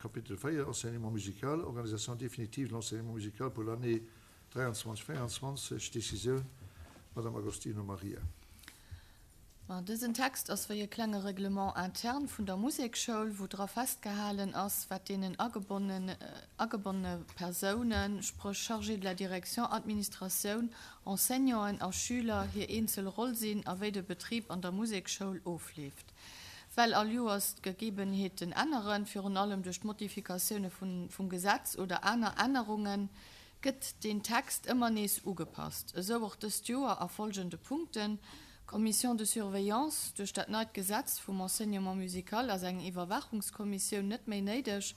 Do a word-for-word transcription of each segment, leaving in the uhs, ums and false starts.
Kapitel véier, Enseignement musical, Organisation définitive de l'enseignement musical pour l'année dräianzwanzeg véieranzwanzeg, Décisioun, Madame Agostino Maria. Dësen Text ass wéi e klenge Règlement interne vun der Musekschoul, wou dra festgehalen ass, wat deenen agebonnene Persounen, spréch Chargé de la direction, Administratioun, Enseignanten a Schüler, hir eenzel Roll sinn a wéi de Betrib an der Musekschoul ofleeft. Well all Joers d'Gegebenheeten änneren, virun allem duerch d'Modifikatioune vum Gesetz oder aner Ännerungen, gëtt deen Text ëmmer nees ugepasst. Esou och dëst Joer a folgende Punkten, Commission de surveillance, Duerch dat neit Gesetz vum Enseignement musical ass eng Iwwerwaachungskommissioun net méi néideg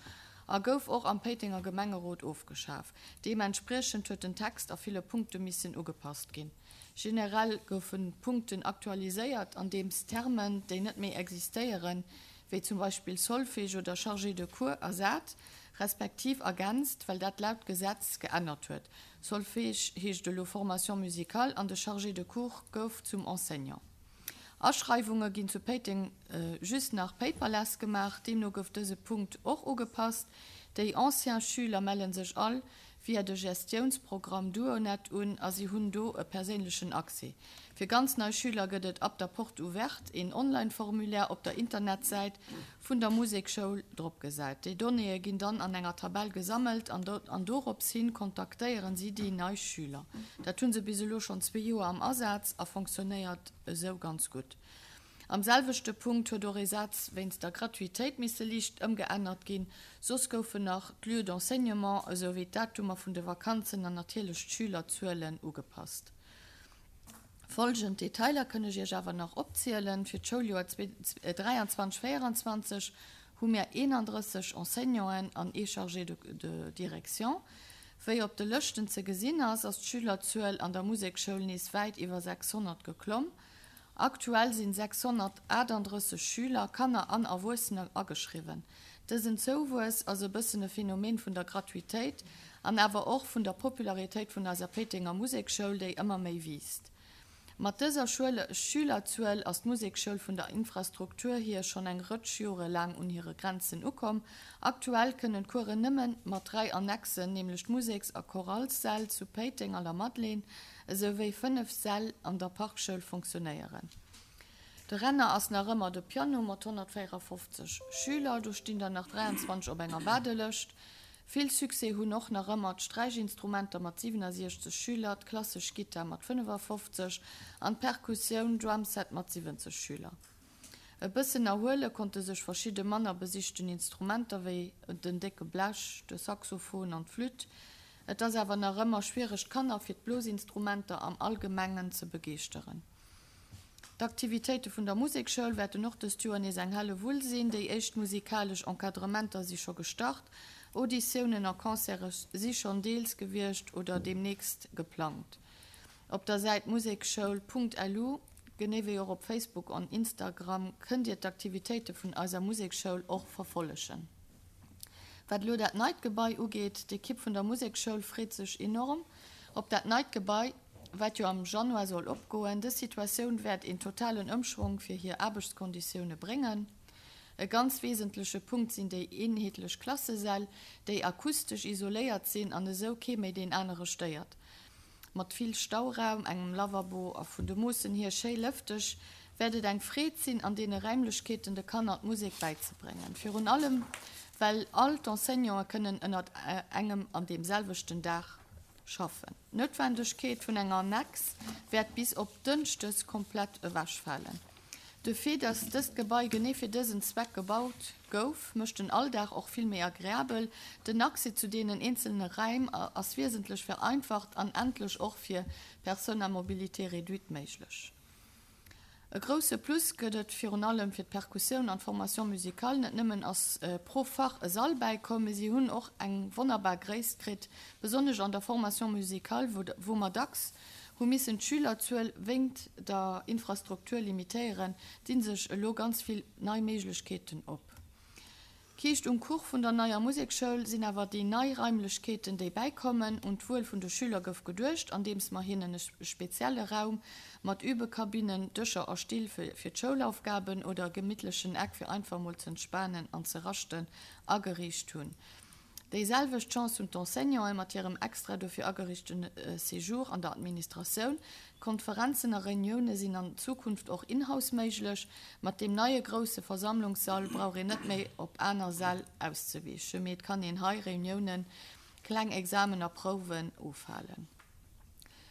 a gouf och am Péitenger Gemengerot ofgeschaf. Deementspriechend huet den Text a ville Punkte missen ugepasst ginn. Generell goufen d'Punkten aktualiséiert, andeems Termen, déi net méi existéieren, wéi zum Beispill Solfège oder Chargé de cours, ersat, respektiv ergänzt, well dat laut Gesetz geännert huet, Solfège heescht elo Formation musicale an de Chargé de cours gouf zum Enseignant. Aschreiwunge ginn zu Péiteng just nach paperless gemaach, deemno gouf dëse Punkt och ugepasst. Déi ancien Schüler melle sech all via de Gestiounsprogramm Duonet un a si hunn do e perséinlechen Accès. Fir ganz nei Schüler gëtt et ab der Porte ouverte een Online-Formulaire op der Internetsäit vun der Musekschoul dropgesat. Déi Donnéeë ginn dann an enger Tabell gesammelt an dorops hin kontaktéieren si déi nei Schüler. Dat hu se bis elo schonn zwee Joer am Asaz a fonctionnéiert esou ganz gutt. Am selwechte Punkt huet och ee Saz wéinst der Gratuitéit misse liicht ëmgeännert ginn. Soss goufen nach d'Lieux d'enseignement esou wéi d'Datumer vun de Vakanzen an natierlech d'Schülerzuelen ugepasst. Folgend Detailer kënn ech Iech awer nach opzielen, Fir d'Schouljoer dräianzwanzeg, véieranzwanzeg hu mir eenandrësseg Enseignanten an ee Chargé de direction. Wéi op de Lëschten ze gesinn ass, ass d'Schülerzuel an der Musekschoul nees wäit iwwer sechshonnert geklomm. Aktuell sinn sechshonnertaachtanddrësseg Schüler, Kanner an Erwuessener, ageschriwwen. Dësen Zouwuess ass e bëssen e Phänomen vun der Gratuitéit an awer och vun der Popularitéit vun eiser Péitenger Musekschoul, déi ëmmer méi wiisst. Mat dëser Schülerzuel ass d'Musekschoul vun der Infrastruktur hier schonn eng Rëtsch Jore laang un hire Grenzen ukomm. Aktuell kënnen d'Coursen nëmme mat dräi Annexen, nämlech d'Museks a Choralssäll zu Péiteng an der Madeleine, esou wéi fënnef Säll an der Parkschoul fonctionnéieren. De Renner ass nach ëmmer de Piano mat honnertvéierafofzeg Schüler, do stinn der nach dräianzwanzeg op enger Waardelëscht. Vill Succès hunn och nach ëmmer d'Sträichinstrumenter mat siwenasiechzeg Schüler, d'klassesch Gittar mat fënnefafofzeg an d'Perkussioun, Drumset, mat siwwenzeg Schüler. E bëssen erhuele konnte sech verschidde manner besichten Instrumenter wéi den décke Blech, de Saxophon an d'Flütt. Et ass awer nach ëmmer schwiereg d'Kanner fir d'Blosinstrumenter am Allgemengen ze begeeschteren. D'Aktivitéite vun der Musekschoul wäerten och dëst Joer nees eng helle Wull sinn. Déi éischt musikalesch Encadrementer si scho gestart, Auditiounen a Concerte si schonn deels gewiescht oder deemnächst geplangt. Op der Säit musekschoul punkt lu, genee wéi och op Facebook an Instagram kënnt Dir d'Aktivitéite vun eiser Musekschoul och verfollegen. Wat elo dat neit Gebai ugeet, d'Ekipp vun der Musekschoul freet sech enorm op dat neit Gebai, wat jo am Januar soll opgoen. Dës Situatioun wäert een totalen Ëmschwong fir hir Aarbechtskonditioune bréngen. E ganz wesentleche Punkt sinn déi eenheetlech Klassesäll, déi akustesch isoléiert sinn an esou kee méi deen anere stéiert. Mat vill Stauraum, engem Lavabo a vun de Moossen hier schéi lëfteg, wäert et eng Freed sinn, an deene Räimlechkeeten de Kanner d'Musek bäizebréngen. Virun allem, well all d'Enseignanten kënnen ënnert engem an deem selwechten Daach schaffen. D'Noutwendegkeet vun enger Annex wäert bis op Dënschdes komplett ewechfalen. De Fait, dass dëst Gebai genee fir dësen Zweck gebaut gouf, mécht den Alldag och vill méi agreabel. Den Accès zu deenen eenzelne Räim ass wiesentlech vereinfacht an endlech och fir Personnes à mobilité réduite méiglech. E grousse Plus gëtt et virun allem fir d'Perkussioun an d'Formation musicale. Net nëmmen ass pro Fach e Sall bäikomm, mee si hunn och eng wonnerbar Gréisst kritt, besonnesch an der Formation musicale, wou mer dacks hu missen d'Schülerzuel wéingt der Infrastruktur limitéieren, dinn sech elo ganz vill nei Méiglechkeeten op. D'Kiischt um Kuch vun der neier Musekschoul sinn awer déi nei Raimlechkeeten, déi bäikommen. Un d'Wuel vun de Schüler gouf geduecht, andeems mer hinnen e spezielle Raum mat Übekabinnen, Dëscher a Still fir d'Schoulaufgaben oder e gemittlechen Eck fir einfach mol z'entspanen an ze raschten ageriicht hunn. Déi selwecht Chance hunn d'Enseignanten mat hirem extra dofir ageriichte Séjour an der Administratioun. Konferenzen a Reunioune sinn an Zukunft och in-house méiglech. Mat deem neie grousse Versammlungssall brauch een net méi op aner Säll auszewiichen, mee et kann een hei Reuniounen, kleng Examen a Prouwen ofhalen.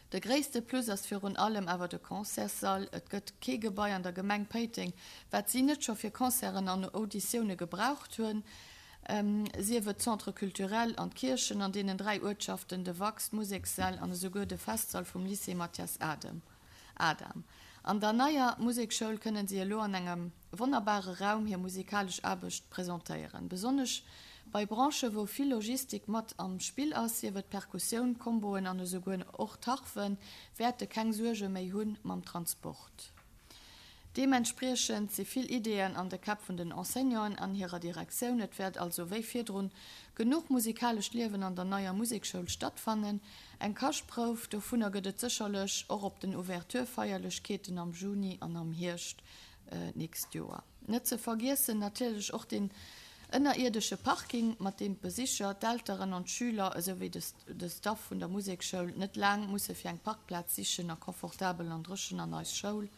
De gréisste Plus ass virun allem awer de Concertssall. Et gëtt kee Gebai an der Gemeng Péiteng, wat si net scho fir Concerten an Auditioune gebraucht hunn, sief et d'Centre culturel an d'Kierchen an deenen dräi Uertschaften, de Wax, d'Musekssäll an esouguer de Festsall vum Lycée Mathias Adam. An der neier Musekschoul kënnen si elo an engem wonnerbare Raum hir musikalesch Aarbecht presentéieren. Besonnesch bei Branchen, wou vill Logistik mat am Spill ass, sief et Perkussioun, Comboen an esouguer och d'Harfen, wäerte keng Suerge méi hu mam Transport. Deementspriechend si vill Ideeën an de Käpp vun den Enseignanten an hirer Direktioun. Et wäert also wéi virdrun genuch musikalescht Liewen an der neier Musekschoul stattfannen. Eng Kaschtprouf dovunner gëtt et sécherlech och op den Ouverture-Feierlechkeeten am Juni an am Hierscht d'nächst Joer. Net ze vergiessen natierlech och den ënnerierdesche Parking, mat deem d'Besicher, d'Elteren an d'Schüler esou wéi de Staff vun der Musekschoul net laang musse fir eng Parkplaz sichen a confortabel an dréchen an eis Schoul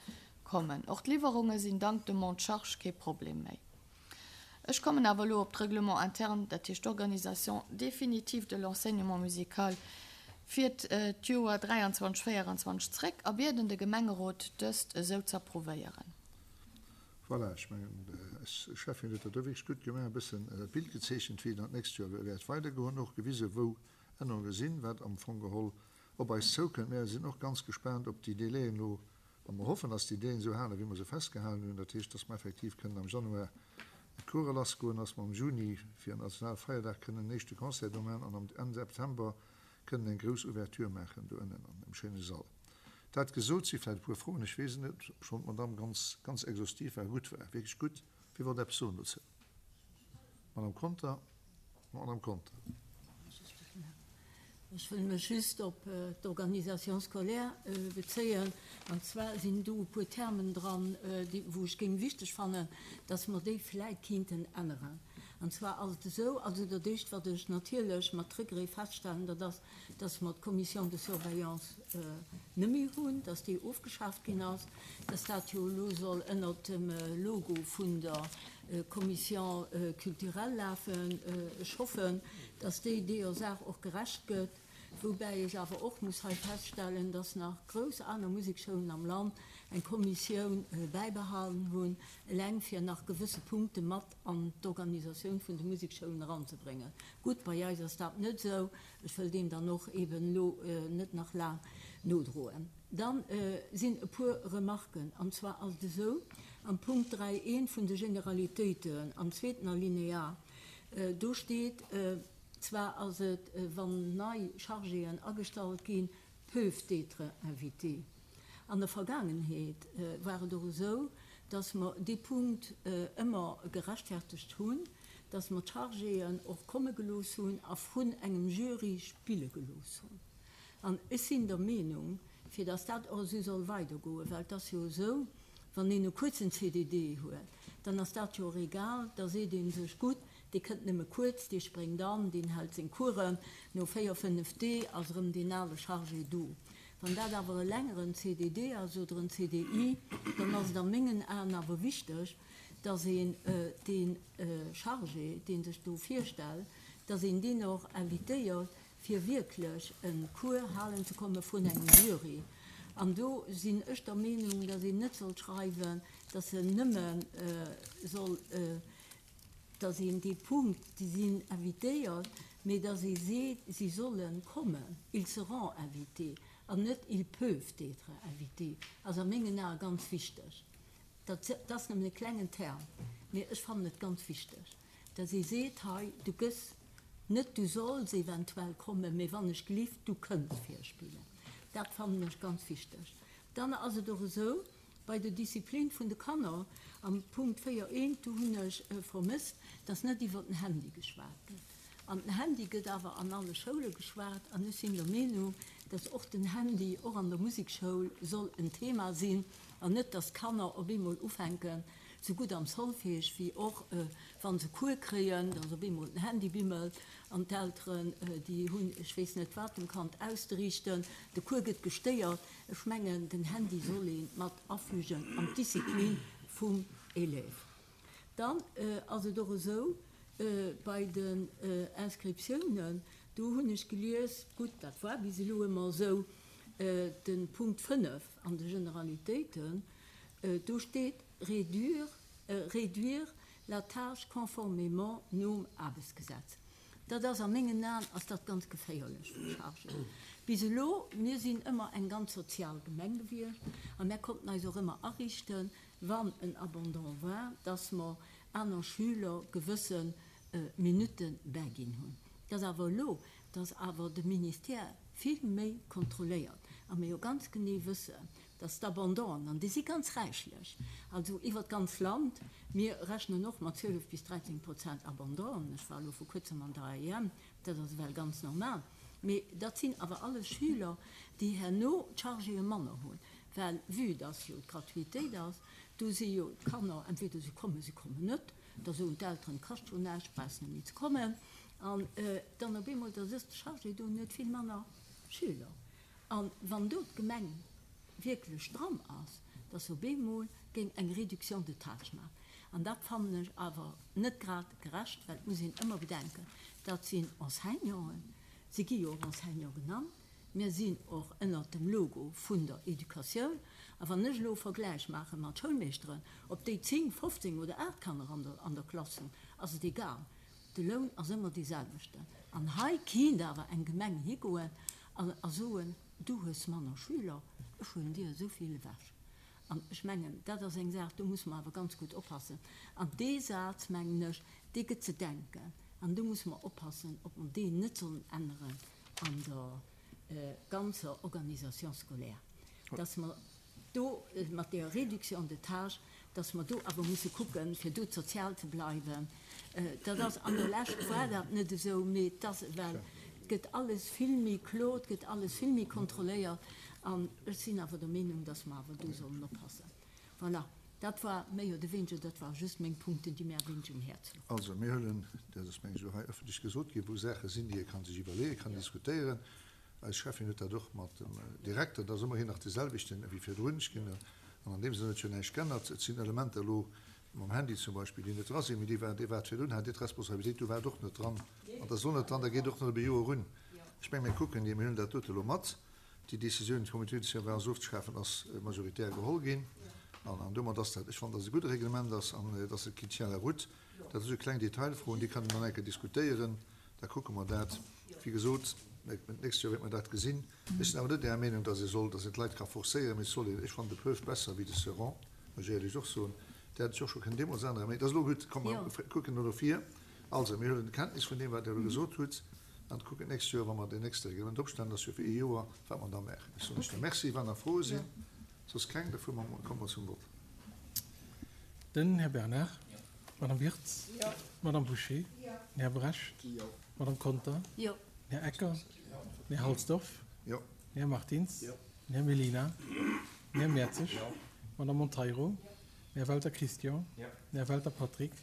kommen. Och d'Liwwerunge sinn dank dem Monte-charge kee Problem méi. Ech kommen awer elo op d'Règlement interne, dat heescht d'Organisation définitive de l'enseignement musical fir d'Joer dräianzwanzeg, véieranzwanzeg zréck a bieden de Gemengerot, dëst esou z'approuvéieren. Voilà, ech mengen, eis Schäffin huet dat do wierklech gutt gemaach, e bëssen d'Bild gezeechent, wéi et an d'nächst Joer wäert weidergoen, och gewisen, wou Ännerunge sinn, wat am Fong geholl op eis zoukënnt. Mär sinn och ganz gespaant op déi Délaiën elo, a mer hoffen, dass déi Délaiën esou halen, wéi mer se festgehalen hunn, dat heescht, dass mer effektiv kënnen am Januar d'Course lassgoen, dass mer am Juni fir den Nationalfeierdag kënnen en éischte Concert do maachen an am Enn September kënnen eng grouss Ouverture maachen do ënnen an dem schéine Sall. Dat gesot, si vläicht e puer Froen, ech weess et net, obschonn d'Madamm ganz, ganz exhaustiv war, gutt war, wierklech gutt. Wie wollt eppes soen dozou? Madamm Conter, Madamm Conter. Ech wëll mech just op d'Organisation scolaire bezéien. An zwar sinn do e puer Termen dran, déi, wou ech géing wichteg fannen, dass mer déi vläit kéinten änneren. An zwar ass et esou, also dat Éischt, wat ech natierlech mat Regret feststellen, dat ass, dass mer d'Commission de surveillance net méi hunn, dass déi ofgeschaaft ginn ass, dass dat jo elo soll ënnert dem Logo vun der Commission culturelle lafen. Ech hoffen, dass déi deeër Saach och gerecht gëtt, woubäi ech awer och muss hei feststellen, dass nach grouss aner Musekschoulen am Land eng Kommissioun bäibehalen hunn, eleng fir nach gewësse Punkte mat an d'Organisatioun vun de Musekschoulen eranzebréngen. Gutt, bei eis ass dat net esou. Ech wëll deem dann och eben elo net nach laang nodroen. Dann sinn e puer Remarken. An zwar ass et esou, am Punkt dräi eent vun de Generalitéiten, am zweeten Alinéa, do steet, zwar ass et, wann nei Chargéen agestallt ginn, peuvent être invités. An der Vergaangenheet war et och esou, dass mer dee Punkt ëmmer gerechtfertegt hunn, dass mer d'Chargéen och komme gelooss hunn a vrun engem Jury spille gelooss hunn. An ech sinn der Meenung, fir dass dat och esou soll weidergoen, well et ass jo esou, wann een e kuerzen C D D huet, dann ass dat jo och egal, da seet ee sech, gutt, dee kënnt nëmme kuerz, dee spréngt an, deen hält seng Coursen, no véier, fënnef Dee ass erëm deen ale Chargé do. Wann dat awer e längeren C D D ass oder en C D I, dann ass et a mengen Aen awer wichteg, dass een dee Chargé, dee sech do virstellt, dass een deen och invitéiert, fir wierklech e Cours halen ze komme vun engem Jury. An do sinn ech der Meenung, dass een net soll schreiwen, dass en nëmme soll, dass een dee Punkt, déi sinn invitéiert, mee dass ee seet, si sollen kommen, ils seront invités, an net ils peuvent être invités, ass a mengen Ae ganz wichteg. Dat ass nëmmen e klengen Term, mee ech fannen et ganz wichteg, dass ee seet, hei, du gëss net, du solls eventuell kommen, mee wann ech gelift, du kënns virspillen. Dat fannen ech ganz wichteg. Dann ass et och esou, Bei der Disziplin vun de Kanner am Punkt véier eent, do hunn ech vermësst, dass net iwwert den Handy geschwat gëtt. An den Handy gëtt awer an alle Schoule geschwat an ech sinn der Meenung, dass och den Handy och an der Musekschoul soll en Thema sinn an net, dass d'Kanner op eemol ufänken, sou gutt am Solfège wéi och wa se Cours kréien, dass op eemol den Handy bimmelt an d'Elteren, déi hunn ech weess net wat dem Kand auszeriichten, de Cours gëtt gestéiert. Ech mengen, den Handy soll ee mat afügen an d'Disziplin vum Élève. Dann ass et och esou, bei den Inscriptiounen, do hunn ech gelies, gutt, dat war bis elo ëmmer esou, de Punkt fënnef an de Generalitéiten, do steet réduire, réduire la tâche conformément nom Aarbechtsgesetz. Dat ass a mengen Aen ass dat ganz geféierlech fir d'Chargéen. Bis elo, mir sinn ëmmer eng ganz sozial Gemeng gewiescht a mär konnten eis och ëmmer ariichten, wann en Abandon war, dass mer aner Schüler gewësse Minutte bäiginn hunn. Et ass awer elo, dass awer de Ministère vill méi kontrolléiert a mir jo ganz genee wëssen, dass d'Abandonen, an déi si ganz räichlech, also iwwert d'ganz Land, mir rechnen och mat zwielef bis dräizéng Prozent Abandonen, ech war elo vor kuerzem an der A E M, dat ass ewell ganz normal, mee dat sinn awer alles Schüler, déi herno d'Chargéë manner hunn, well vue dass jo d'Gratuitéit ass, do si jo d'Kanner, entweder se kommen, se kommen net, da soen d'Elteren, kascht schon näischt, brauchst net méi ze kommen, an dann op eemol, da sëtzt de Chargé do net vill manner Schüler. An wann do d'Gemeng wierklech dran ass, dass op eemol géing eng Réduction de tâche maachen. An dat fannen ech awer net grad gerecht, well et muss een ëmmer bedenken, dat sinn Enseignanten, si gi jo och Enseignant genannt, mir sinn och ënnert dem Logo vun der Educatioun. A wann ech elo Vergläich maache mat Schoulmeeschteren, ob déi zéng, fofzéng oder aacht Kanner an der, an der Klass hunn, ass et egal. De Loun ass ëmmer dee selwechten. An hei kinnt awer eng Gemeng higoen an, a soen, du hues manner Schüler, ech huelen dir esou vill ewech. An ech mengen, dat ass eng Saach, do muss man awer ganz gutt oppassen. An dee Saz, mengen ech, dee gëtt ze denken. An do muss man oppassen, ob man deen net sollen änneren an der ganzer Organisation scolaire. Dass man do mat der Réduction de tâche, dass man do awer musse kucken, fir do sozial ze bleiwen. Dat ass an der Lescht war dat net esou, mee das, well et gëtt alles vill méi klo, et gëtt alles vill méi kontrolléiert. An ech sinn awer der Meenung, dass mer awer do sollen oppassen. Voilà. Dat war méi oder weniger, dat war just meng Punkten, déi mir wéineg um Häerz louchen. Also, mir huelen, dat ass meng ech elo hei ëffentlech gesot ginn, wou Saache sinn, déi ee kann sech iwwerleeën, kann diskutéieren. Eis Chefin huet dat och mat dem Direkter, da ass ëmmerhin nach de selwechten wéi virdrun. Ech ginn an an deem Sënn huet jo näischt geännert. Et sinn Elementer elo mam Handy zum Beispill, déi net dra sinn, mee déi war, déi war virdrun, hat déi d'Responsabilitéit, do war et och net dran. An dat ass och net dran, da geet och net op e Joer un. Ech meng, mir kucken, mir huelen dat dote elo mat. Déi Décisioun, d'Comité de surveillance ofzeschafen, ass majoritär geholl ginn. An, an domat ass dat, ech fand, dass e gudde Reglement ass an dass et qui tient la route. Dat ass e kleng Detailfroen, déi kann een dann enke diskutéieren. Da kucke mer dat. Wéi gesot, nächstes Joer wäert mer dat gesinn. Ech sinn awer net der Meenung, dass ee soll, dass een d'Leit ka forcéieren, mee et soll een, ech fand de Peuf besser wéi de Seron, muss ech éierlech och soen. Der hat ech och scho kënnen deemools änneren, mee dat ass elo gutt. Komm, mer kucken no vir. Also, mir huelen Kenntnis vun deem, wat Der elo gesot hutt, an kucken nächstes Joer, wa mer den nächste Reglement opstellen, dass wir fir ee Joer, wat mer da maachen. Ech soen lech da Merci, wann nach Froe sinn. Soss keng, dafür kommen wir zum Vott. Den Här Bernard, Madame Wirtz, Madame Boucher, Här Brecht, Madame Conter, Här Ecker, Här Halsdorf, Här Martins, Här Mellina, Här Mertzig, Madame Monteiro, Här Welter Christian, Här Welter Patrick,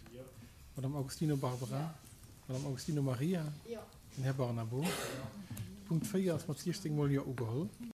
Madame Augustino Barbara, Madame Augustino Maria, Här Barnabo. Punkt véier ass mat siechzéng Mol Jo ugeholl.